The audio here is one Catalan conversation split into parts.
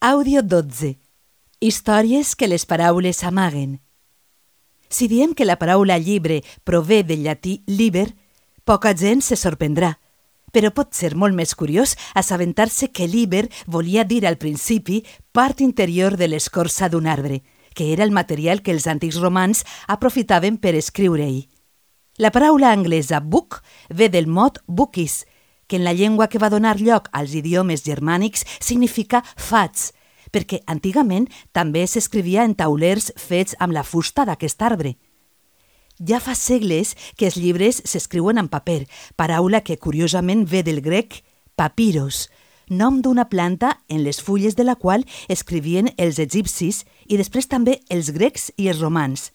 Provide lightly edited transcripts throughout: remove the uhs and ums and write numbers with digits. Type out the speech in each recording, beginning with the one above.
Àudio 12. Històries que les paraules amaguen. Si diem que la paraula llibre prové del llatí liber, poca gent se sorprendrà, però pot ser molt més curiós assabentar-se que liber volia dir al principi part interior de l'escorça d'un arbre, que era el material que els antics romans aprofitaven per escriure-hi. La paraula anglesa book ve del mot bookies, que en la llengua que va donar lloc als idiomes germànics significa fats, perquè antigament també s'escrivia en taulers fets amb la fusta d'aquest arbre. Ja fa segles que els llibres s'escriuen en paper, paraula que curiosament ve del grec papiros, nom d'una planta en les fulles de la qual escrivien els egipcis i després també els grecs i els romans.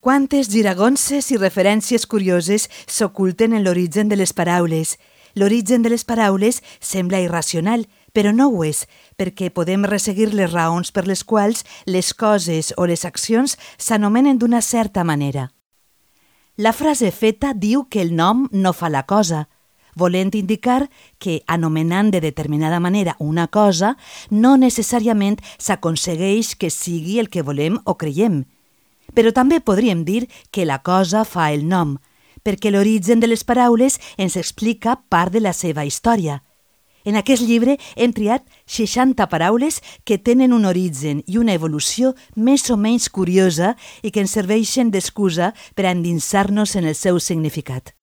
Quantes giragonses i referències curioses s'oculten en l'origen de les paraules. L'origen de les paraules sembla irracional, però no ho és, perquè podem resseguir les raons per les quals les coses o les accions s'anomenen d'una certa manera. La frase feta diu que el nom no fa la cosa, volent indicar que, anomenant de determinada manera una cosa, no necessàriament s'aconsegueix que sigui el que volem o creiem. Però també podríem dir que la cosa fa el nom, perquè l'origen de les paraules ens explica part de la seva història. En aquest llibre hem triat 60 paraules que tenen un origen i una evolució més o menys curiosa i que ens serveixen d'excusa per a endinsar-nos en el seu significat.